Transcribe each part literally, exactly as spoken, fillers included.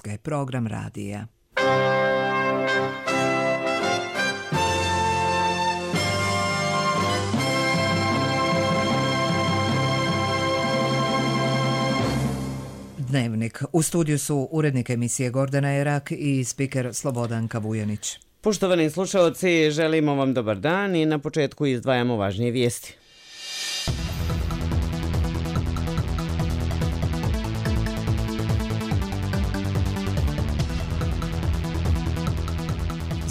Srpske, program radija. Dnevnik. U studiju su urednik emisije Gordana Erak i spiker Slobodanka Vujanić. Poštovani slušalci, želimo vam dobar dan i na početku izdvajamo važnije vijesti.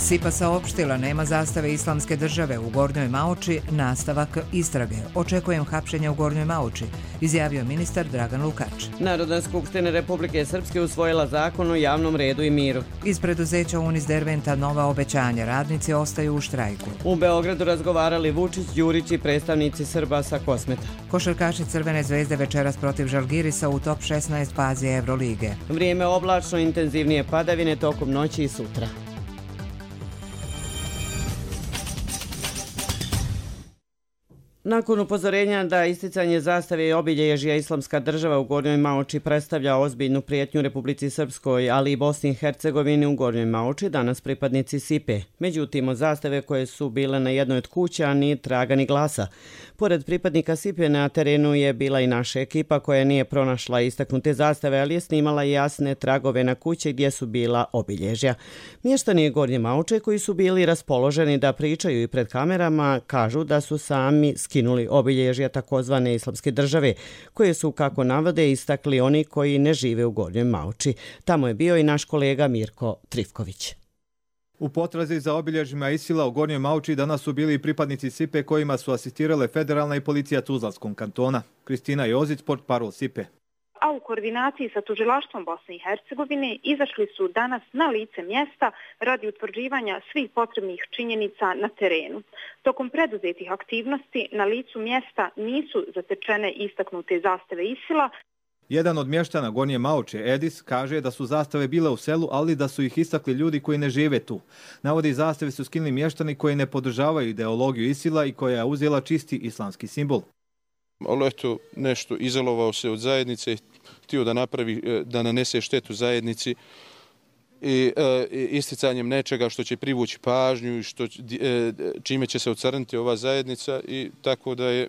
S I P A saopštila nema zastave Islamske države u Gornjoj Maoči, nastavak istrage. Očekujem hapšenja u Gornjoj Maoči, izjavio ministar Dragan Lukač. Narodna skupština Republike Srpske usvojila zakon o javnom redu i miru. Iz preduzeća Unis Derventa nova obećanja, radnici ostaju u štrajku. U Beogradu razgovarali Vučić, Đurić i predstavnici Srba sa Kosmeta. Košarkaši Crvene zvezde večeras protiv Žalgirisa u top šesnaest fazi Evrolige. Vrijeme oblačno, intenzivnije padavine tokom noći i sutra. Nakon upozorenja da isticanje zastave i obilježja Islamska država u Gornjoj Maoči predstavlja ozbiljnu prijetnju Republici Srpskoj, ali i Bosni i Hercegovini, u Gornjoj Maoči danas pripadnici S I P E. Međutim, od zastave koje su bile na jednoj od kuća ni traga ni glasa. Pored pripadnika S I P E na terenu je bila i naša ekipa koja nije pronašla istaknute zastave, ali je snimala jasne tragove na kuće gdje su bila obilježja. Mještani Gornje Maoče koji su bili raspoloženi da pričaju i pred kamerama kažu da su sami skinuli obilježja takozvane Islamske države, koje su, kako navode, istakli oni koji ne žive u Gornjoj Maoči. Tamo je bio i naš kolega Mirko Trifković. U potrazi za obilježjima Isila u Gornjoj Maoči danas su bili pripadnici S I P E kojima su asistirale federalna i policija Tuzlanskog kantona. Kristina Jozić, portparol S I P E. A u koordinaciji sa tužilaštvom Bosne i Hercegovine izašli su danas na lice mjesta radi utvrđivanja svih potrebnih činjenica na terenu. Tokom preduzetih aktivnosti na licu mjesta nisu zatečene istaknute zastave Isila. Jedan od mještana Gornje Maoče, Edis, kaže da su zastave bile u selu, ali da su ih istakli ljudi koji ne žive tu. Navodi, zastave su skinuli mještani koji ne podržavaju ideologiju Isila i koja je uzela čisti islamski simbol. Ali eto, nešto izolovao se od zajednice, htio da napravi, da nanese štetu zajednici i e, isticanjem nečega što će privući pažnju i što, e, čime će se ocrniti ova zajednica, i tako da je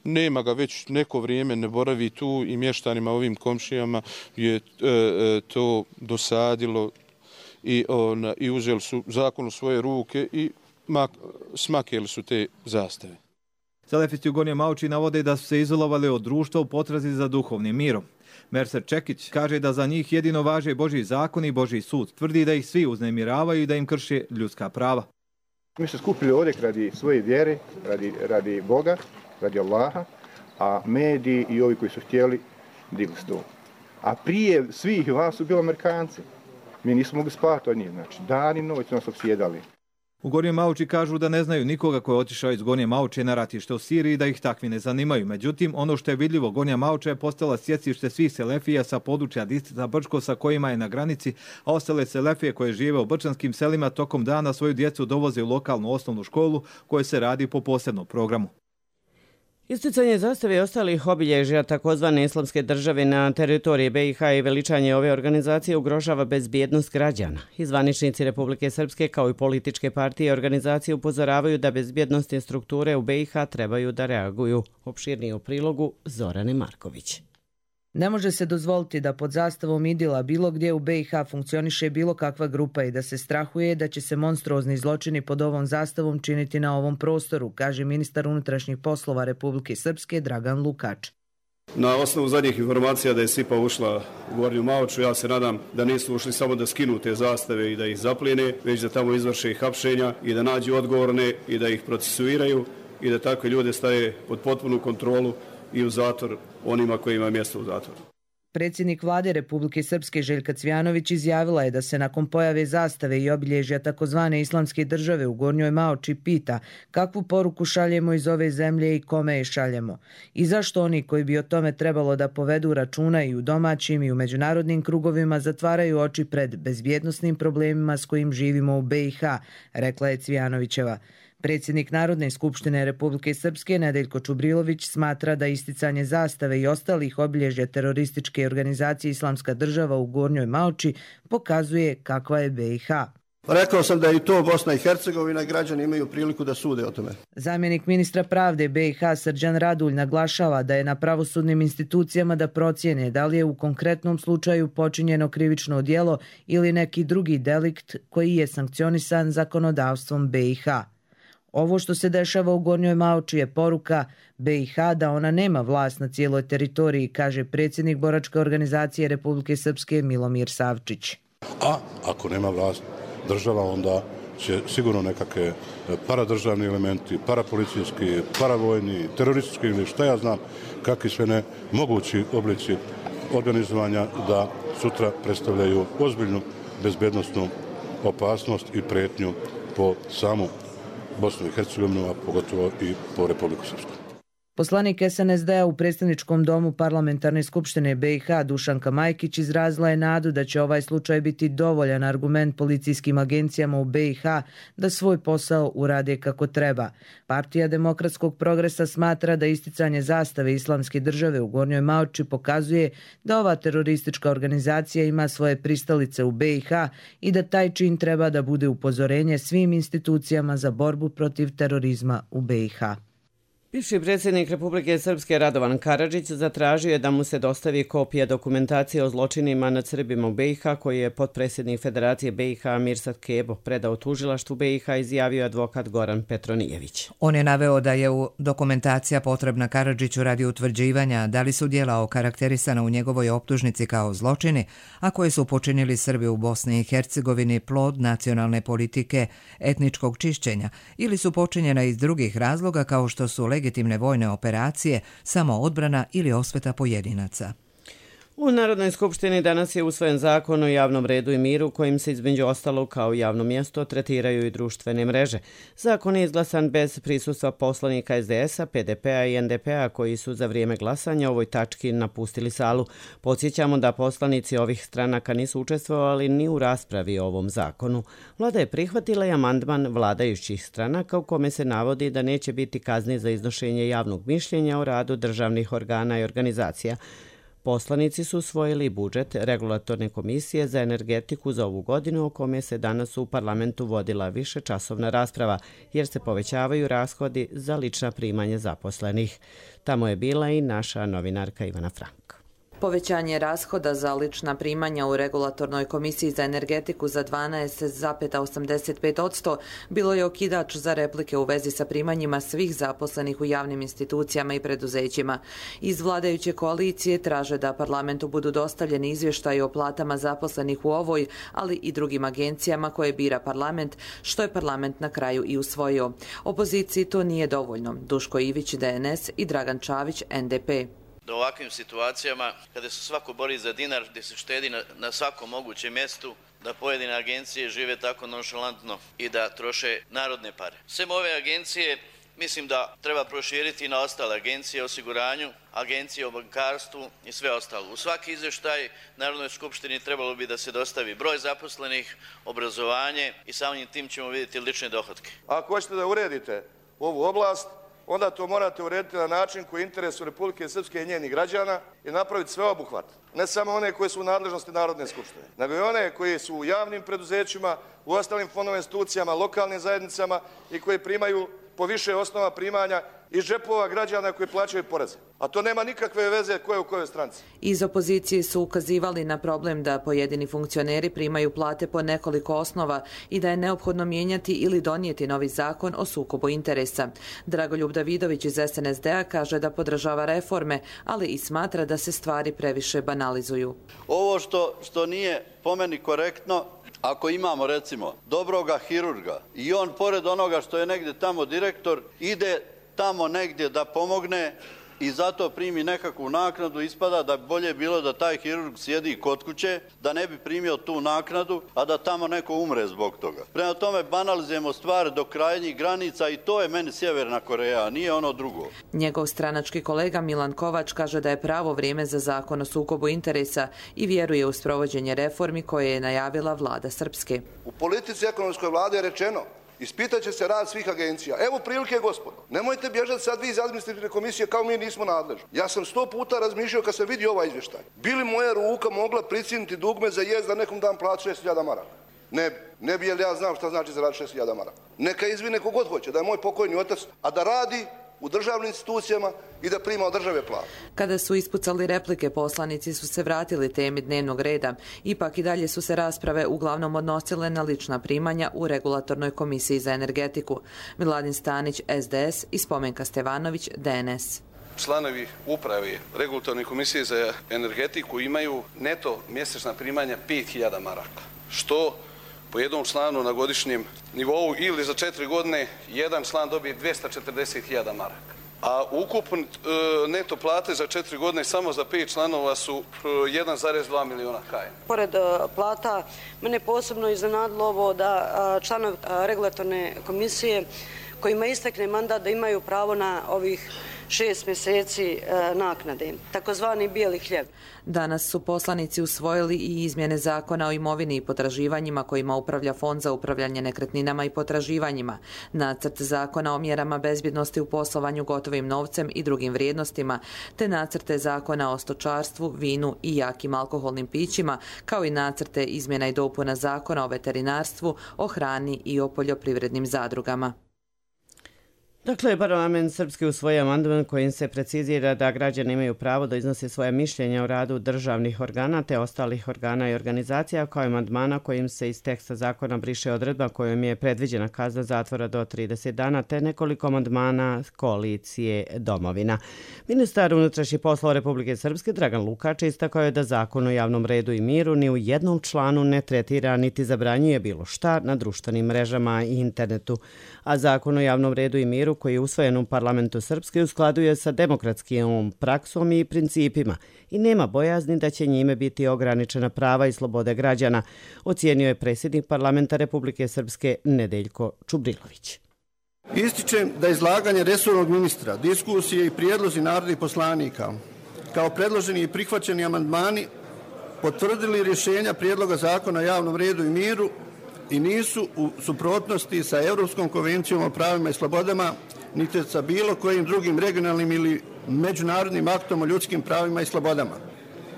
nema ga već neko vrijeme, ne boravi tu, i mještanima, ovim komšijama je e, e, to dosadilo i, on, i uzeli su zakon u svoje ruke i mak, smakeli su te zastave. Selefisti u Gornjoj Maoči navode da su se izolovali od društva u potrazi za duhovnim mirom. Mercer Čekić kaže da za njih jedino važe Božji zakon i Božji sud. Tvrdi da ih svi uznemiravaju i da im krše ljudska prava. Mi smo skupili ovdje radi svoje vjere, radi, radi Boga, radi Allaha, a mediji i ovi koji su htjeli digli sto. A prije svih vas su bili Amerikanci. Mi nismo mogli spati od njih, znači dan i noć su nas opsjedali. U Gornjoj Maoči kažu da ne znaju nikoga ko je otišao iz Gornje Maoče na ratište u Siriji, da ih takvi ne zanimaju. Međutim, ono što je vidljivo, Gornja Maoča je postala sjecište svih selefija sa područja distrikta Brčko sa kojima je na granici, a ostale selefije koje žive u brčanskim selima tokom dana svoju djecu dovoze u lokalnu osnovnu školu koja se radi po posebnom programu. Isticanje zastave i ostalih obilježja takozvane Islamske države na teritoriji B i H i veličanje ove organizacije ugrožava bezbjednost građana. I zvaničnici Republike Srpske kao i političke partije i organizacije upozoravaju da bezbjednostne strukture u B i H trebaju da reaguju. Opširnije u prilogu Zorane Marković. Ne može se dozvoliti da pod zastavom Idila bilo gdje u B i H funkcioniše bilo kakva grupa i da se strahuje da će se monstruozni zločini pod ovom zastavom činiti na ovom prostoru, kaže ministar unutrašnjih poslova Republike Srpske Dragan Lukač. Na osnovu zadnjih informacija da je S I P A ušla u Gornju Maoču, ja se nadam da nisu ušli samo da skinu te zastave i da ih zaplijene, već da tamo izvrše i hapšenja i da nađu odgovorne i da ih procesuiraju i da takve ljude staje pod potpunu kontrolu i u zatvor onima koji ima mjesto u zatvoru. Predsjednik vlade Republike Srpske Željka Cvijanović izjavila je da se nakon pojave zastave i obilježja takozvane Islamske države u Gornjoj Maoči pita kakvu poruku šaljemo iz ove zemlje i kome je šaljemo. I zašto oni koji bi o tome trebalo da povedu računa i u domaćim i u međunarodnim krugovima zatvaraju oči pred bezbjednosnim problemima s kojim živimo u B i H, rekla je Cvijanovićeva. Predsjednik Narodne skupštine Republike Srpske Nedeljko Čubrilović smatra da isticanje zastave i ostalih obilježja terorističke organizacije Islamska država u Gornjoj Maoči pokazuje kakva je B i H. Rekao sam da i to Bosna i Hercegovina i građani imaju priliku da sude o tome. Zamjenik ministra pravde B i H Srđan Radulj naglašava da je na pravosudnim institucijama da procijene da li je u konkretnom slučaju počinjeno krivično djelo ili neki drugi delikt koji je sankcionisan zakonodavstvom B i H. Ovo što se dešava u Gornjoj Maoči je poruka B i H da ona nema vlast na cijeloj teritoriji, kaže predsjednik boračke organizacije Republike Srpske Milomir Savčić. A ako nema vlast država, onda će sigurno nekakve paradržavni elementi, parapolicijski, paravojni, teroristički ili šta ja znam, kakvi sve ne mogući oblici organizovanja da sutra predstavljaju ozbiljnu bezbednosnu opasnost i pretnju po samu Bosnu i Hercegovinu, a pogotovo i po Republiku Srpsku. Poslanik S N S D-a u predstavničkom domu Parlamentarne skupštine B i H Dušanka Majkić izrazila je nadu da će ovaj slučaj biti dovoljan argument policijskim agencijama u B i H da svoj posao urade kako treba. Partija demokratskog progresa smatra da isticanje zastave Islamske države u Gornjoj Maoči pokazuje da ova teroristička organizacija ima svoje pristalice u B i H i da taj čin treba da bude upozorenje svim institucijama za borbu protiv terorizma u B i H. Bivši predsjednik Republike Srpske Radovan Karadžić zatražio je da mu se dostavi kopija dokumentacije o zločinima nad Srbima u B i H koji je potpredsjednik Federacije B i H Mirsad Kebo predao tužilaštvu B i H, izjavio advokat Goran Petronijević. On je naveo da je u dokumentacija potrebna Karadžiću radi utvrđivanja da li su djela okarakterisana u njegovoj optužnici kao zločini, a koje su počinili Srbi u Bosni i Hercegovini plod nacionalne politike etničkog čišćenja ili su počinjena iz drugih razloga kao što su legitimne vojne operacije, samoodbrana ili osveta pojedinaca. U Narodnoj skupštini danas je usvojen zakon o javnom redu i miru kojim se između ostalog kao javno mjesto tretiraju i društvene mreže. Zakon je izglasan bez prisustva poslanika S D S-a, P D P-a i N D P-a koji su za vrijeme glasanja ovoj tački napustili salu. Podsjećamo da poslanici ovih stranaka nisu učestvovali ni u raspravi o ovom zakonu. Vlada je prihvatila i amandman vladajućih stranaka u kome se navodi da neće biti kazni za iznošenje javnog mišljenja o radu državnih organa i organizacija. Poslanici su usvojili budžet Regulatorne komisije za energetiku za ovu godinu o kome se danas u parlamentu vodila višečasovna rasprava jer se povećavaju rashodi za lična primanja zaposlenih. Tamo je bila i naša novinarka Ivana Frank. Povećanje rashoda za lična primanja u Regulatornoj komisiji za energetiku za dvanaest zarez osamdeset pet posto bilo je okidač za replike u vezi sa primanjima svih zaposlenih u javnim institucijama i preduzećima. Iz vladajuće koalicije traže da parlamentu budu dostavljeni izvještaji o platama zaposlenih u ovoj, ali i drugim agencijama koje bira parlament, što je parlament na kraju i usvojio. Opoziciji to nije dovoljno. Duško Ivić, D N S i Dragan Čavić, N D P. Da u ovakvim situacijama, kada se svako bori za dinar, gdje se štedi na, na svakom mogućem mjestu, da pojedine agencije žive tako nonšalantno i da troše narodne pare. Sve ove agencije mislim da treba proširiti na ostale agencije o osiguranju, agencije o bankarstvu i sve ostalo. U svaki izvještaj Narodnoj skupštini trebalo bi da se dostavi broj zaposlenih, obrazovanje i samim tim ćemo vidjeti lične dohotke. Ako hoćete da uredite ovu oblast, onda to morate urediti na način koji je interesu Republike Srpske i njenih građana i napraviti sve obuhvat. Ne samo one koje su u nadležnosti Narodne skupštine, nego i one koje su u javnim preduzećima, u ostalim fondovim institucijama, lokalnim zajednicama i koje primaju po više osnova primanja iz džepova građana koji plaćaju poreze. A to nema nikakve veze ko je u kojoj stranci. Iz opozicije su ukazivali na problem da pojedini funkcioneri primaju plate po nekoliko osnova i da je neophodno mijenjati ili donijeti novi zakon o sukobu interesa. Dragoljub Davidović iz S N S D-a kaže da podržava reforme, ali i smatra da se stvari previše banalizuju. Ovo što, što nije po meni korektno, ako imamo recimo dobroga hirurga i on pored onoga što je negdje tamo direktor ide tamo negdje da pomogne i zato primi nekakvu naknadu, ispada da bolje bilo da taj hirurg sjedi kod kuće, da ne bi primio tu naknadu, a da tamo neko umre zbog toga. Prema tome banalizujemo stvari do krajnjih granica i to je meni Sjeverna Koreja, nije ono drugo. Njegov stranački kolega Milan Kovač kaže da je pravo vrijeme za zakon o sukobu interesa i vjeruje u sprovođenje reformi koje je najavila vlada Srpske. U politici ekonomskoj vlade je rečeno Ispitat će se rad svih agencija. Evo prilike, gospodo. Nemojte bježati sad vi iz administrativne komisije kao mi nismo nadležni. Ja sam sto puta razmišljao kad sam vidio ovaj izvještaj. Bili moja ruka mogla pricijeniti dugme za jest da nekom dam platu šest hiljada maraka? Ne bi. Ne bi, jer ja znam šta znači zaraditi šest hiljada maraka. Neka izvine kogod hoće, da je moj pokojni otac, a da radi u državnim institucijama i da prima od države platu. Kada su ispucali replike, poslanici su se vratili temi dnevnog reda. Ipak i dalje su se rasprave uglavnom odnosile na lična primanja u Regulatornoj komisiji za energetiku. Miladin Stanić, S D S i Spomenka Stevanović, D N S. Članovi uprave Regulatorne komisije za energetiku imaju neto mjesečna primanja pet hiljada maraka, što po jednom članu na godišnjem nivou ili za četiri godine jedan član dobije dvjesto četrdeset hiljada maraka. A ukupno neto plate za četiri godine samo za pet članova su jedan zarez dva miliona kajena. Pored plata, mene posebno iznenadilo ovo da članovi Regulatorne komisije kojima istekne mandat da imaju pravo na ovih šest mjeseci naknade, takozvani bijeli hljeb. Danas su poslanici usvojili i izmjene zakona o imovini i potraživanjima kojima upravlja Fond za upravljanje nekretninama i potraživanjima, nacrt zakona o mjerama bezbjednosti u poslovanju gotovim novcem i drugim vrijednostima, te nacrte zakona o stočarstvu, vinu i jakim alkoholnim pićima, kao i nacrte izmjena i dopuna zakona o veterinarstvu, o hrani i o poljoprivrednim zadrugama. Dakle, parlament srpski usvoji amandman kojim se precizira da građani imaju pravo da iznose svoje mišljenja o radu državnih organa te ostalih organa i organizacija, kao i amandmana kojim se iz teksta zakona briše odredba kojom je predviđena kazna zatvora do trideset dana te nekoliko amandmana koalicije Domovina. Ministar unutrašnjih poslova Republike Srpske Dragan Lukač istakao je da zakon o javnom redu i miru ni u jednom članu ne tretira niti zabranjuje bilo šta na društvenim mrežama i internetu, a zakon o javnom redu i miru koji je usvojen u parlamentu Srpske u skladu je sa demokratskim praksom i principima i nema bojazni da će njime biti ograničena prava i slobode građana, ocijenio je predsjednik parlamenta Republike Srpske Nedeljko Čubrilović. Ističem da izlaganje resornog ministra, diskusije i prijedlozi narodnih poslanika, kao predloženi i prihvaćeni amandmani, potvrdili rješenja prijedloga zakona o javnom redu i miru i nisu u suprotnosti sa Europskom konvencijom o pravima i slobodama, niti sa bilo kojim drugim regionalnim ili međunarodnim aktom o ljudskim pravima i slobodama.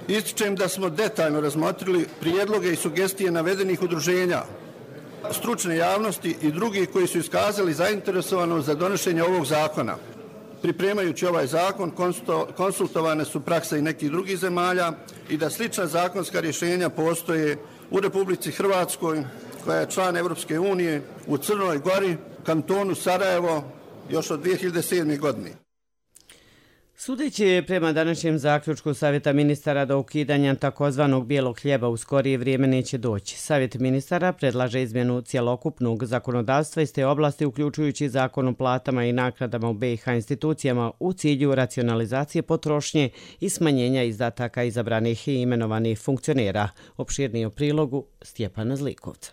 Ističem da smo detaljno razmotrili prijedloge i sugestije navedenih udruženja, stručne javnosti i drugih koji su iskazali zainteresovanost za donošenje ovog zakona. Pripremajući ovaj zakon, konsultovane su prakse i nekih drugih zemalja i da slična zakonska rješenja postoje u Republici Hrvatskoj, koja je član Evropske unije, u Crnoj Gori, kantonu Sarajevo, još od dvije hiljade sedme. godine. Sudeći prema današnjem zaključku Savjeta ministara do ukidanja takozvanog bijelog hljeba u skorije vrijeme neće doći. Savjet ministara predlaže izmjenu cjelokupnog zakonodavstva iz te oblasti, uključujući zakon o platama i naknadama u B i H institucijama u cilju racionalizacije potrošnje i smanjenja izdataka izabranih i imenovanih funkcionera. Opširniji u prilogu Stjepana Zlikovca.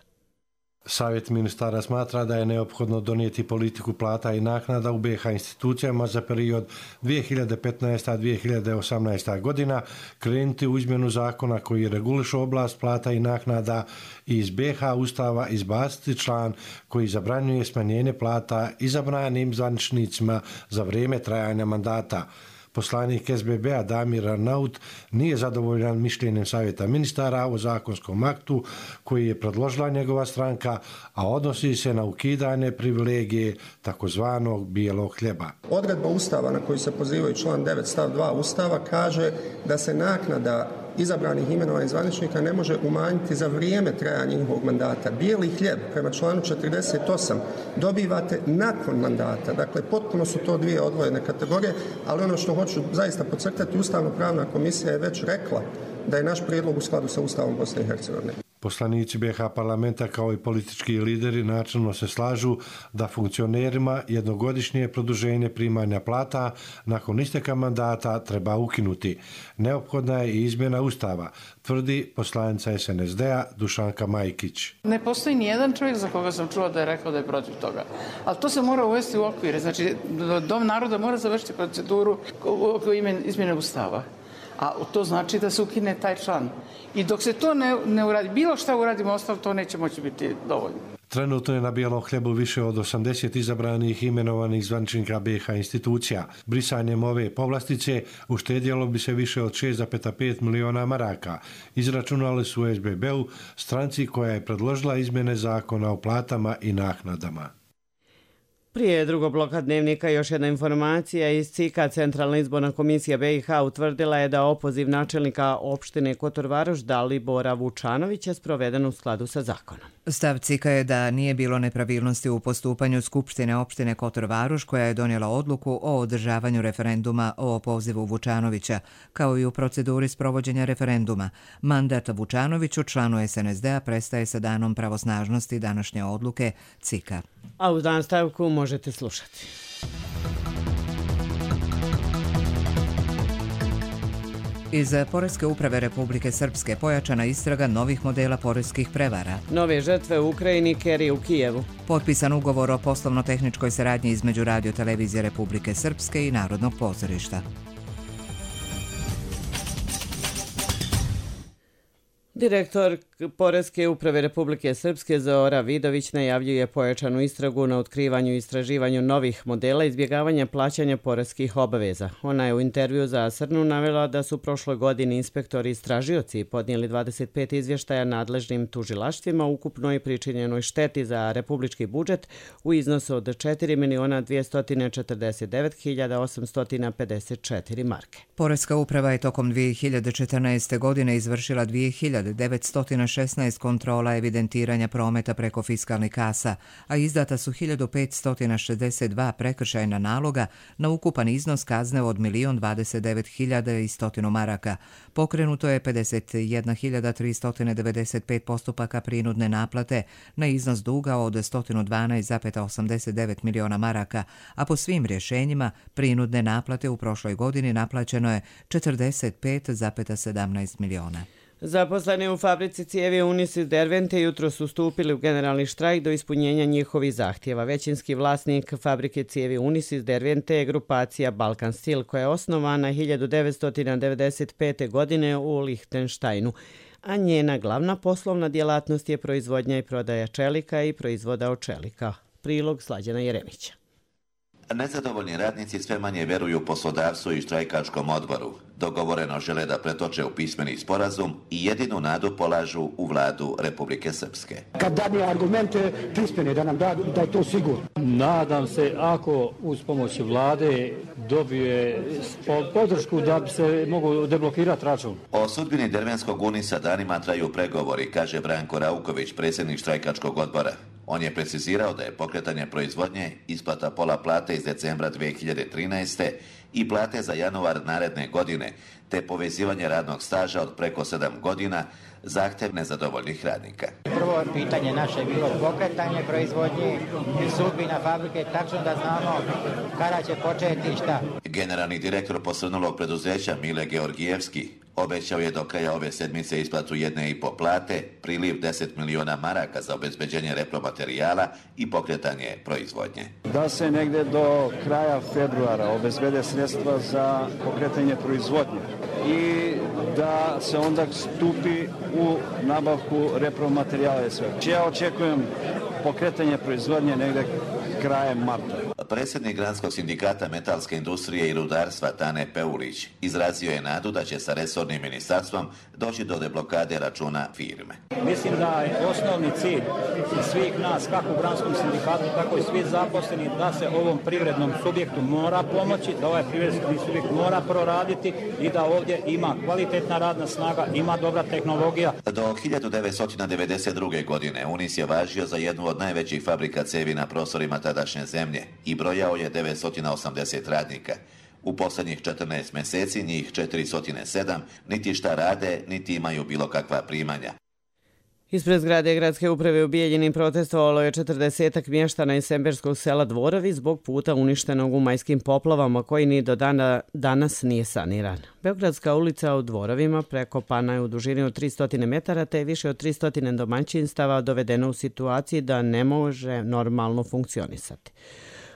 Savjet ministara smatra da je neophodno donijeti politiku plata i naknada u B i H institucijama za period dvije hiljade petnaesta do dvije hiljade osamnaesta. godina, krenuti u izmjenu zakona koji reguliše oblast plata i naknada i iz B i H Ustava izbaciti član koji zabranjuje smanjenje plata izabranim zvaničnicima za vrijeme trajanja mandata. Poslanik S B B-a Damir Arnaut nije zadovoljan mišljenjem Savjeta ministara o zakonskom aktu koji je predložila njegova stranka, a odnosi se na ukidanje privilegije takozvanog bijelog hljeba. Odredba Ustava na koju se pozivaju član devet stav dva Ustava kaže da se naknada izabranih imenovanih zvaničnika ne može umanjiti za vrijeme trajanja njihovog mandata. Bijeli hljeb prema članu četrdeset osam dobivate nakon mandata. Dakle, potpuno su to dvije odvojene kategorije, ali ono što hoću zaista podcrtati, Ustavno-pravna komisija je već rekla da je naš prijedlog u skladu sa Ustavom Bosne i Hercegovine. Poslanici B i H parlamenta kao i politički lideri načelno se slažu da funkcionerima jednogodišnje produženje primanja plata nakon isteka mandata treba ukinuti. Neophodna je i izmjena Ustava, tvrdi poslanica S N S D-a Dušanka Majkić. Ne postoji ni jedan čovjek za koga sam čuo da je rekao da je protiv toga. Ali to se mora uvesti u okvire. Znači, Dom naroda mora završiti proceduru oko izmjene Ustava. A to znači da se ukine taj član. I dok se to ne, ne uradi, bilo šta uradimo ostalo, to neće moći biti dovoljno. Trenutno je na bijelom hljebu više od osamdeset izabranih i imenovanih zvaničnika B iH institucija. Brisanjem ove povlastice uštedjelo bi se više od šest zarez pet miliona maraka. Izračunali su u S B B-u, stranci koja je predložila izmjene zakona o platama i naknadama. Prije drugog bloka dnevnika još jedna informacija iz C I K-a. Centralna izborna komisija B iH utvrdila je da opoziv načelnika opštine Kotor Varoš Dalibora Vučanovića sproveden u skladu sa zakonom. Stav C I K-a je da nije bilo nepravilnosti u postupanju Skupštine opštine Kotor Varoš koja je donijela odluku o održavanju referenduma o opozivu Vučanovića, kao i u proceduri sprovođenja referenduma. Mandat Vučanoviću, članu S N S D-a, prestaje sa danom pravosnažnosti današnje odluke C I K-a. A u nastavku možete slušati. Iz Poreske uprave Republike Srpske pojačana istraga novih modela poreskih prevara. Nove žrtve u Ukrajini, Keri u Kijevu. Potpisan ugovor o poslovno-tehničkoj saradnji između Radio-televizije Republike Srpske i Narodnog pozorišta. Direktor Poreske uprave Republike Srpske Zora Vidović najavljuje pojačanu istragu na otkrivanju i istraživanju novih modela izbjegavanja plaćanja poreskih obaveza. Ona je u intervju za Srnu navela da su prošle godine inspektori i istražioci podnijeli dvadeset pet izvještaja nadležnim tužilaštvima ukupnoj pričinjenoj šteti za republički budžet u iznosu od četiri miliona dvjesto četrdeset devet hiljada osamsto pedeset četiri marke. Poreska uprava je tokom dvije hiljade četrnaeste. godine izvršila dvije hiljade devetsto šesnaest kontrola evidentiranja prometa preko fiskalnih kasa, a izdata su hiljadu petsto šezdeset dva prekršajna naloga na ukupan iznos kazne od milion dvadeset devet hiljada i sto maraka. Pokrenuto je pedeset jedna hiljada tristo devedeset pet postupaka prinudne naplate na iznos duga od sto dvanaest zarez osamdeset devet miliona maraka, a po svim rješenjima prinudne naplate u prošloj godini naplaćeno je četrdeset pet zarez sedamnaest miliona. Zaposleni u fabrici cijevi Unisys Dervente jutro su stupili u generalni štrajk do ispunjenja njihovih zahtjeva. Većinski vlasnik fabrike cijevi Unisys Dervente je grupacija Balkan Steel koja je osnovana hiljadu devetsto devedeset pete. godine u Lihtenštajnu, a njena glavna poslovna djelatnost je proizvodnja i prodaja čelika i proizvoda od čelika. Prilog Slađana Jeremića. Nezadovoljni radnici sve manje vjeruju poslodavcu i štrajkačkom odboru. Dogovoreno žele da pretoče u pismeni sporazum i jedinu nadu polažu u vladu Republike Srpske. Kad dadne argumente pismene da nam da, da je to sigurno. Nadam se ako uz pomoć vlade dobije podršku da bi se mogu deblokirati račun. O sudbini Dervenskog Unisa danima traju pregovori, kaže Branko Rauković, predsjednik štrajkačkog odbora. On je precizirao da je pokretanje proizvodnje, isplata pola plate iz decembra dvije hiljade trinaeste. i plate za januar naredne godine, te povezivanje radnog staža od preko sedam godina, zahtjev nezadovoljnih radnika. Prvo pitanje naše je bilo pokretanje proizvodnje i sudbina fabrike, tačno da znamo kada će početi i šta. Generalni direktor posrnulog preduzeća Mile Georgijevski obećao je do kraja ove sedmice isplatu jedne i po plate, priliv deset miliona maraka za obezbeđenje repromaterijala i pokretanje proizvodnje. Da se negde do kraja februara obezbede sredstva za pokretanje proizvodnje i da se onda stupi u nabavku repromaterijala i sve. Ja očekujem pokretanje proizvodnje negde krajem marta. Predsjednik Granskog sindikata metalske industrije i rudarstva Tane Peulić izrazio je nadu da će sa resornim ministarstvom doći do deblokade računa firme. Mislim da je osnovni cilj svih nas, kako u Granskom sindikatu, tako i svi zaposleni, da se ovom privrednom subjektu mora pomoći, da ovaj privredni subjekt mora proraditi i da ovdje ima kvalitetna radna snaga, ima dobra tehnologija. Do hiljadu devetsto devedeset druge. godine Unis je važio za jednu od najvećih fabrika cevi na prostorima tadašnje zemlje i brojao je devetsto osamdeset radnika. U posljednjih četrnaest mjeseci njih četiristo sedam niti šta rade, niti imaju bilo kakva primanja. Ispred zgrade gradske uprave u Bijeljinim protestovalo je četrdesetak mještana iz semberskog sela Dvorovi zbog puta uništenog u majskim poplavama koji ni do dana danas nije saniran. Beogradska ulica u Dvorovima prekopana je u dužini od tristo metara te je više od tristo domaćinstava dovedeno u situaciji da ne može normalno funkcionisati.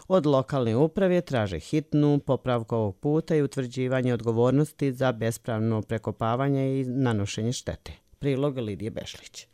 Od lokalne uprave traže hitnu popravku ovog puta i utvrđivanje odgovornosti za bespravno prekopavanje i nanošenje štete. Prilog Lidije Bešlić.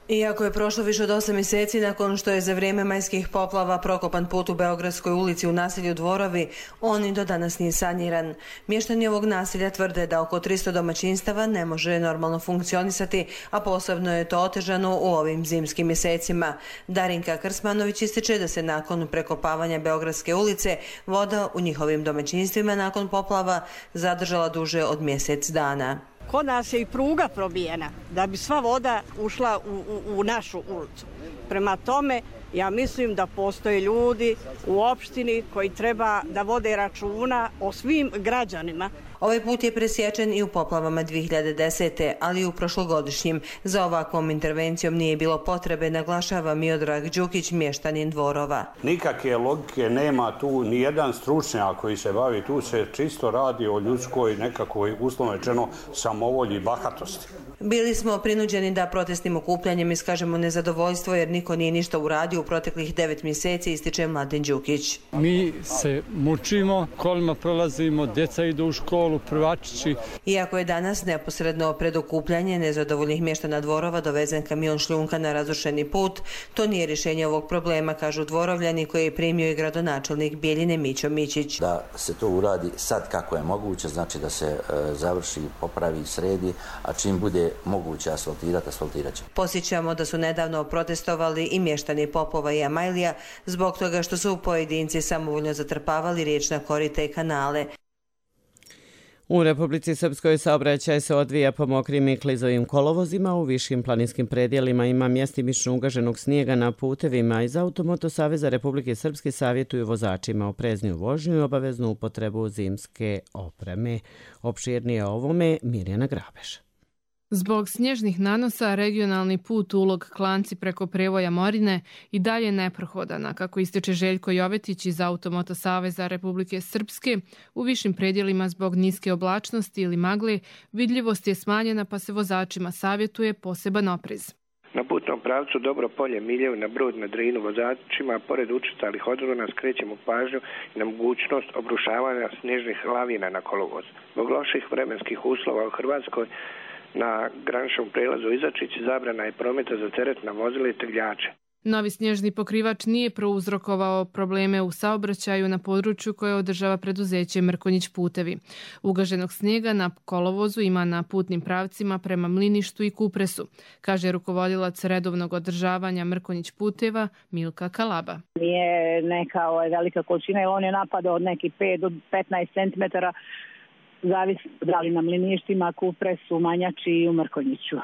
Iako je prošlo više od osam mjeseci nakon što je za vrijeme majskih poplava prokopan put u Beogradskoj ulici u naselju Dvorovi, on i do danas nije saniran. Mještani ovog naselja tvrde da oko tristo domaćinstava ne može normalno funkcionisati, a posebno je to otežano u ovim zimskim mjesecima. Darinka Krsmanović ističe da se nakon prekopavanja Beogradske ulice voda u njihovim domaćinstvima nakon poplava zadržala duže od mjesec dana. Kod nas je i pruga probijena da bi sva voda ušla u, u, u našu ulicu. Prema tome, ja mislim da postoje ljudi u opštini koji treba da vode računa o svim građanima. Ovaj put je presječen i u poplavama dvije hiljade desete. ali i u prošlogodišnjim. Za ovakvom intervencijom nije bilo potrebe, naglašava Miodrag Đukić, mještanin Dvorova. Nikakve logike nema tu, ni jedan stručnjak koji se bavi, tu se čisto radi o ljudskoj nekakvoj, uslovno rečeno, samovolji i bahatosti. Bili smo prinuđeni da protestnim okupljanjem iskažemo nezadovoljstvo jer niko nije ništa uradio u proteklih devet mjeseci, ističe Mladen Đukić. Mi se mučimo, kolima prolazimo, djeca idu u školu, prvačići. Iako je danas neposredno pred okupljanje nezadovoljnih mještana Dvorova dovezen kamion šljunka na razrušeni put, to nije rješenje ovog problema, kažu Dvorovljani, koji je primio i gradonačelnik Bijeljine Mićo Mićić. Da se to uradi sad kako je moguće, znači da se e, završi, popravi, sredi, a čim bude moguće asfaltirati, asfaltirat će. Posjećamo da su nedavno protestovali i mještani Popova i Amajlija zbog toga što su pojedinci samovoljno zatrpavali riječna korita i kanale. U Republici Srpskoj saobraćaj se odvija po mokrim i klizovim kolovozima, u višim planinskim predjelima ima mjestimično ugaženog snijega na putevima. Iz Automoto saveza Republike Srpske savjetuju vozačima oprezniju vožnju i obaveznu upotrebu zimske opreme. Opširnije o ovome Mirjana Grabež. Zbog snježnih nanosa regionalni put Ulog Klanci preko Prevoja Morine i dalje neprohodana, kako ističe Željko Jovetić iz Automoto saveza Republike Srpske. U višim predjelima zbog niske oblačnosti ili magle vidljivost je smanjena, pa se vozačima savjetuje poseban oprez. Na putnom pravcu Dobro Polje Miljev na Brod na Drinu vozačima pored učestalih odrona skrećemo pažnju na mogućnost obrušavanja snježnih lavina na kolovoz. Zbog loših vremenskih uslova u Hrvatskoj na graničnom prelazu Izačić zabrana je prometa za teretna vozila i tegljače. Novi snježni pokrivač nije prouzrokovao probleme u saobraćaju na području koje održava preduzeće Mrkonjić putevi. Ugaženog snijega na kolovozu ima na putnim pravcima prema Mliništu i Kupresu, kaže rukovodilac redovnog održavanja Mrkonjić puteva Milka Kalaba. Nije neka ovaj, velika količina, jer on je napadao od nekih pet do petnaest centimetara, zavisi da li na Mliništima, Kupresu, Manjači i u Mrkonjiću.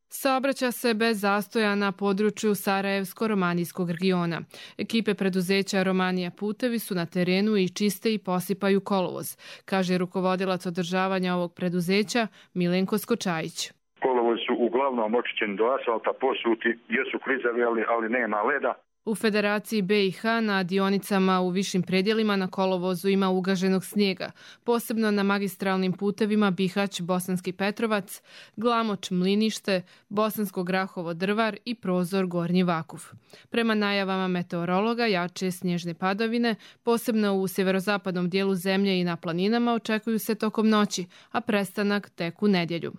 Saobraća se bez zastoja na području Sarajevsko-Romanijskog regiona. Ekipe preduzeća Romanija putevi su na terenu i čiste i posipaju kolovoz, kaže rukovodilac održavanja ovog preduzeća Milenko Skočajić. Kolovoz su uglavnom očišćeni do asfalta, posuti, jesu klizavi, ali, ali nema leda. U Federaciji be i ha na dionicama u višim predjelima na kolovozu ima ugaženog snijega, posebno na magistralnim putevima Bihać, Bosanski Petrovac, Glamoč, Mlinište, Bosansko Grahovo, Drvar i Prozor, Gornji Vakuf. Prema najavama meteorologa, jače snježne padavine, posebno u sjeverozapadnom dijelu zemlje i na planinama, očekuju se tokom noći, a prestanak tek u nedjelju.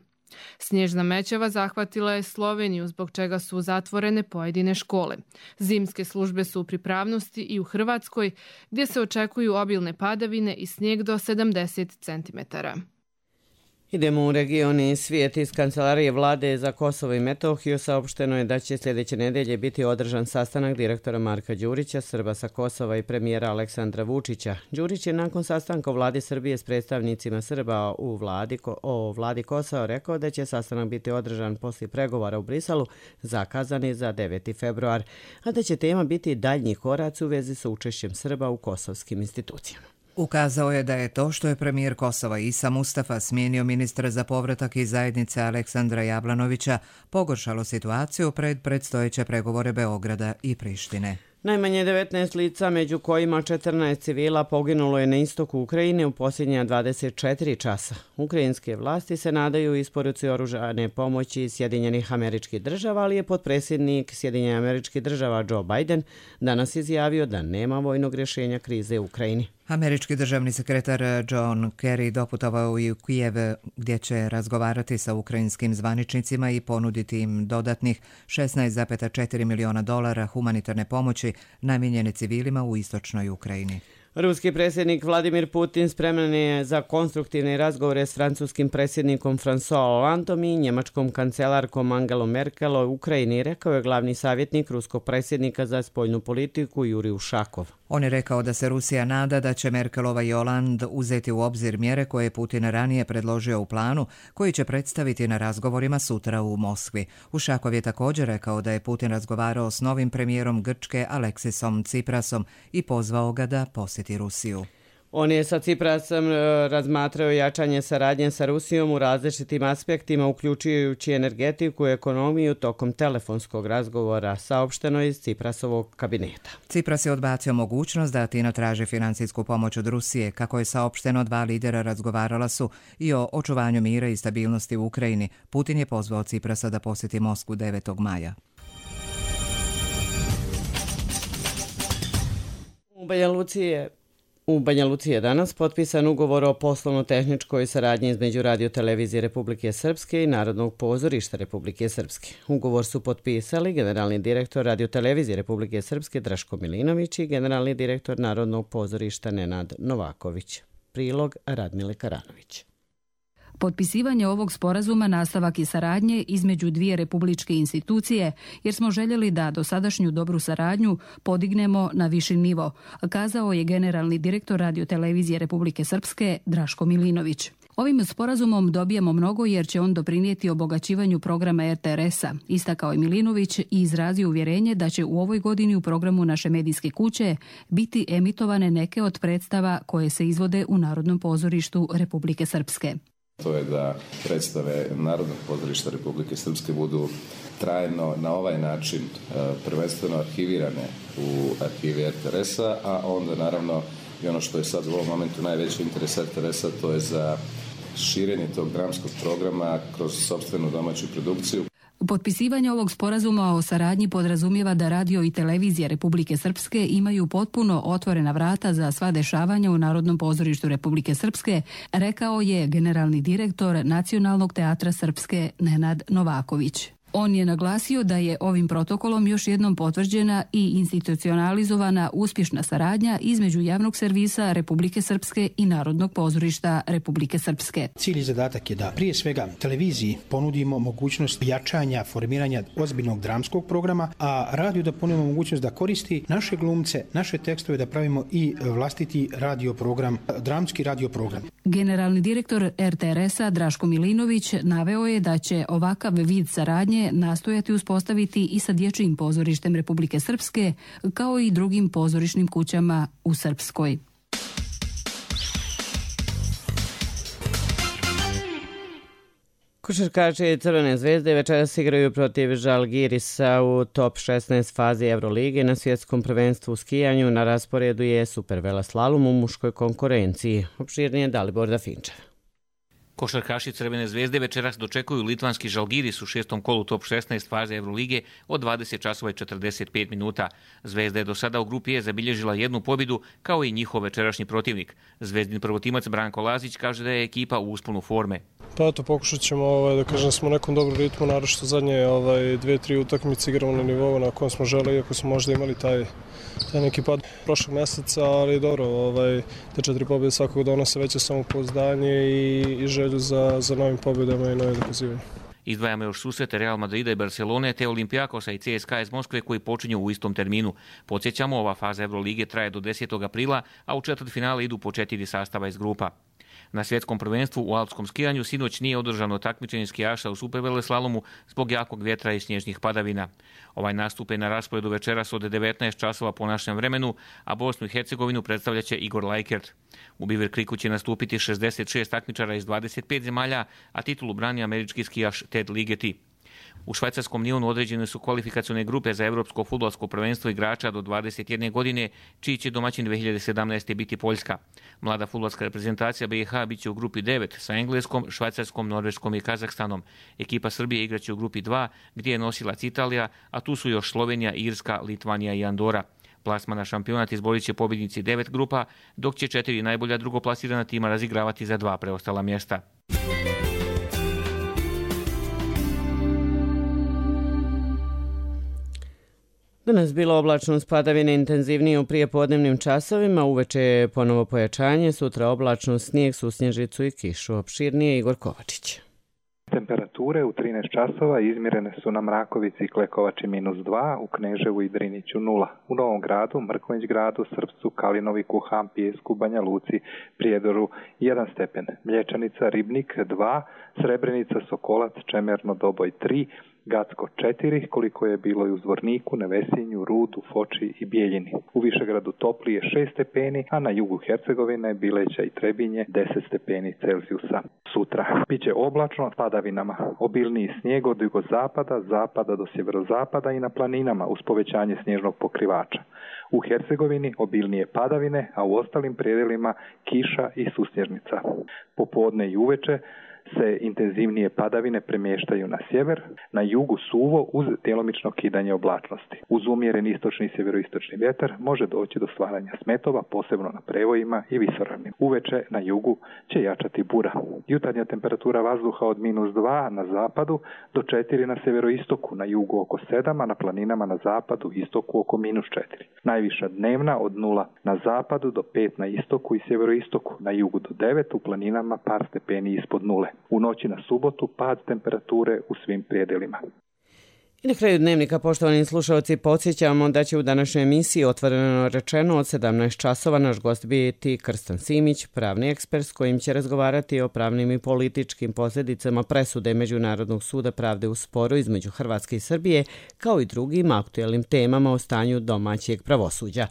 Snježna mećava zahvatila je Sloveniju, zbog čega su zatvorene pojedine škole. Zimske službe su u pripravnosti i u Hrvatskoj, gdje se očekuju obilne padavine i snijeg do sedamdeset centimetara. Idemo u regioni svijet. Iz Kancelarije vlade za Kosovo i Metohiju saopšteno je da će sljedeće nedelje biti održan sastanak direktora Marka Đurića, Srba sa Kosova i premijera Aleksandra Vučića. Đurić je nakon sastanka u vladi Srbije s predstavnicima Srba u vladi, o vladi Kosova rekao da će sastanak biti održan poslije pregovora u Briselu, zakazani za deveti februar, a da će tema biti daljnji koraci u vezi sa učešćem Srba u kosovskim institucijama. Ukazao je da je to što je premijer Kosova Isa Mustafa smijenio ministra za povratak iz zajednice Aleksandra Jablanovića pogoršalo situaciju pred predstojeće pregovore Beograda i Prištine. Najmanje devetnaest lica, među kojima četrnaest civila, poginulo je na istoku Ukrajine u posljednja dvadeset četiri časa. Ukrajinske vlasti se nadaju isporuci oružane pomoći Sjedinjenih Američkih Država, ali je potpredsjednik Sjedinjenih Američkih Država Joe Biden danas izjavio da nema vojnog rješenja krize u Ukrajini. Američki državni sekretar John Kerry doputovao je u Kijev gdje će razgovarati sa ukrajinskim zvaničnicima i ponuditi im dodatnih šesnaest zarez četiri miliona dolara humanitarne pomoći namijenjene civilima u istočnoj Ukrajini. Ruski predsjednik Vladimir Putin spreman je za konstruktivne razgovore s francuskim predsjednikom François Hollandom i njemačkom kancelarkom Angelom Merkel o Ukrajini, rekao je glavni savjetnik ruskog predsjednika za spoljnu politiku Jurij Ušakov. On je rekao da se Rusija nada da će Merkelova i Holand uzeti u obzir mjere koje je Putin ranije predložio u planu, koji će predstaviti na razgovorima sutra u Moskvi. Ušakov je također rekao da je Putin razgovarao s novim premijerom Grčke Aleksisom Tsiprasom i pozvao ga da posjeti Rusiju. On je sa Ciprasom razmatrao jačanje saradnje sa Rusijom u različitim aspektima, uključujući energetiku i ekonomiju tokom telefonskog razgovora, saopšteno iz Ciprasovog kabineta. Cipras je odbacio mogućnost da Atina traži financijsku pomoć od Rusije. Kako je saopšteno, dva lidera razgovarala su i o očuvanju mira i stabilnosti u Ukrajini. Putin je pozvao Ciprasa da posjeti Moskvu devetog maja. U Banja Luci je U Banja Luci je danas potpisan ugovor o poslovno-tehničkoj saradnji između Radio-televizije Republike Srpske i Narodnog pozorišta Republike Srpske. Ugovor su potpisali generalni direktor Radio-televizije Republike Srpske Draško Milinović i generalni direktor Narodnog pozorišta Nenad Novaković. Prilog Radmile Karanović. Potpisivanje ovog sporazuma nastavak je saradnje između dvije republičke institucije, jer smo željeli da dosadašnju dobru saradnju podignemo na viši nivo, kazao je generalni direktor Radio-televizije Republike Srpske Draško Milinović. Ovim sporazumom dobijamo mnogo jer će on doprinijeti obogaćivanju programa er te er es-a, istakao je Milinović i izrazio uvjerenje da će u ovoj godini u programu naše medijske kuće biti emitovane neke od predstava koje se izvode u Narodnom pozorištu Republike Srpske. To je da predstave Narodnog pozorišta Republike Srpske budu trajno na ovaj način prvenstveno arhivirane u arhivi er te er es-a, a onda naravno i ono što je sad u ovom momentu najveći interes er te er es-a, to je za širenje tog dramskog programa kroz sopstvenu domaću produkciju. Potpisivanje ovog sporazuma o saradnji podrazumijeva da radio i televizija Republike Srpske imaju potpuno otvorena vrata za sva dešavanja u Narodnom pozorištu Republike Srpske, rekao je generalni direktor Nacionalnog teatra Srpske Nenad Novaković. On je naglasio da je ovim protokolom još jednom potvrđena i institucionalizovana uspješna saradnja između javnog servisa Republike Srpske i Narodnog pozorišta Republike Srpske. Cilj i zadatak je da prije svega televiziji ponudimo mogućnost jačanja, formiranja ozbiljnog dramskog programa, a radiju da ponudimo mogućnost da koristi naše glumce, naše tekstove, da pravimo i vlastiti radio program, dramski radio program. Generalni direktor er te er es-a Draško Milinović naveo je da će ovakav vid saradnje nastojati uspostaviti i sa Dječjim pozorištem Republike Srpske, kao i drugim pozorišnim kućama u Srpskoj. Košarkaši Crvene zvezde večeras igraju protiv Žalgirisa u top šesnaest fazi Evrolige na svjetskom prvenstvu u skijanju. Na rasporedu je superveleslalom u muškoj konkurenciji. Opširnije Dalibor Dafinčev. Košarkaši Crvene zvezde večeras dočekuju litvanski Žalgiris u šestom kolu top šesnaest faze Evrolige od dvadeset časova i četrdeset pet minuta. Zvezda je do sada u grupi E zabilježila jednu pobjedu kao i njihov večerašnji protivnik. Zvezdin prvotimac Branko Lazić kaže da je ekipa u usponu forme. Pa eto, pokušat ćemo ovaj, da kažem smo u nekom dobrom ritmu, naročito zadnje ovaj, dve, tri utakmice igramo na nivou na kojem smo želi, iako smo možda imali taj, taj neki pad prošlog mjeseca, ali dobro, ovaj, te četiri pobjede svakog donose veće samopouzdanje i, i želju za, za novim pobjedama i novim dokazivanjem. Izdvajamo još susrete Real Madrida i Barcelone te Olimpijakosa i ce es ka a iz Moskve koji počinju u istom terminu. Podsjećamo, ova faza Evrolige traje do desetog aprila, a u četvrtfinale idu po četiri sastava iz grupa. Na svjetskom prvenstvu u alpskom skijanju sinoć nije održano takmičenje skijaša u superveleslalomu zbog jakog vjetra i snježnih padavina. Ovaj nastup je na rasporedu večeras od devetnaest časova po našem vremenu, a Bosnu i Hercegovinu predstavljaće Igor Lajkert. U Beaver Creeku će nastupiti šezdeset šest takmičara iz dvadeset pet zemalja, a titulu brani američki skijaš Ted Ligeti. U švajcarskom Lyonu određene su kvalifikacione grupe za evropsko fudbalsko prvenstvo igrača do dvadeset jedne godine, čiji će domaćin dve hiljade sedamnaeste. biti Poljska. Mlada fudbalska reprezentacija be i ha biće u grupi devet sa Engleskom, Švajcarskom, Norveškom i Kazahstanom. Ekipa Srbije igraće u grupi dva, gdje je nosilac Italija, a tu su još Slovenija, Irska, Litvanija i Andora. Plasma na šampionat izborit će pobjednici devet grupa, dok će četiri najbolja drugoplasirana tima razigravati za dva preostala mjesta. Danas bilo oblačno uz padavine intenzivnije u prijepodnevnim časovima, uveče je ponovo pojačanje, sutra oblačno snijeg, susnježicu i kišu. Opširnije Igor Kovačić. Temperature u trinaest časova izmjerene su na Mrakovici i Klekovači minus dva, u Kneževu i Driniću nula. U Novom Gradu, Mrkonjić gradu, Srpcu, Kalinoviku, Hampijesku, Banja Luci, Prijedoru jedan stepen. Mlječanica, Ribnik dva, Srebrenica, Sokolac, Čemerno, Doboj tri, Gacko četiri, koliko je bilo i u Zvorniku, Nevesinju, Rudu, Foči i Bijeljini. U Višegradu toplije šest stepeni, a na jugu Hercegovine, Bileća i Trebinje deset stepeni Celzijusa. Sutra biće oblačno s padavinama, obilniji snijeg od jugozapada, zapada do sjeverozapada i na planinama uz povećanje snježnog pokrivača. U Hercegovini obilnije padavine, a u ostalim predjelima kiša i susnježnica. Popodne i uveče se intenzivnije padavine premještaju na sjever, na jugu suvo uz djelomično kidanje oblačnosti. Uz umjeren istočni i sjeveroistočni vjetar može doći do stvaranja smetova, posebno na prevojima i visoravni. Uveče na jugu će jačati bura. Jutarnja temperatura vazduha od minus dva na zapadu do četiri na sjeveroistoku, na jugu oko sedam, a na planinama na zapadu i istoku oko minus četiri. Najviša dnevna od nula na zapadu do pet na istoku i sjeveroistoku, na jugu do devet, u planinama par stepeni ispod nule. U noći na subotu pad temperature u svim prijedelima. I na kraju dnevnika, poštovani slušalci, podsjećamo da će u današnjoj emisiji Otvoreno rečeno od sedamnaest časova naš gost biti Krstan Simić, pravni ekspert s kojim će razgovarati o pravnim i političkim posljedicama presude Međunarodnog suda pravde u sporu između Hrvatske i Srbije, kao i drugim aktuelnim temama o stanju domaćeg pravosuđa.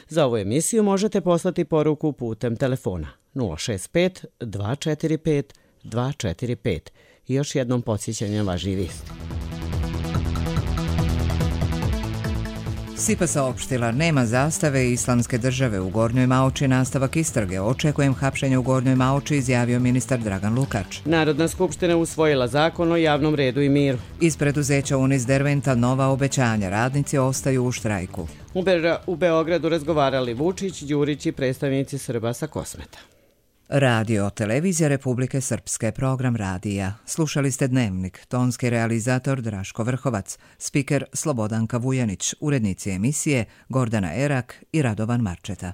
Za ovu emisiju možete poslati poruku putem telefona nula šest pet dva četiri pet dva četiri pet. I još jednom podsjećanje važi vijest. S I P A saopštila, nema zastave Islamske države u Gornjoj Maoči, nastavak istrage. Očekujem hapšenje u Gornjoj Maoči, izjavio ministar Dragan Lukač. Narodna skupština usvojila zakon o javnom redu i miru. Iz preduzeća Unis Derventa nova obećanja, radnici ostaju u štrajku. U, Be- u Beogradu razgovarali Vučić, Đurić i predstavnici Srba sa Kosmeta. Radio Televizija Republike Srpske, program radija. Slušali ste Dnevnik, tonski realizator Draško Vrhovac, spiker Slobodanka Vujanić, urednici emisije Gordana Erak i Radovan Marčeta.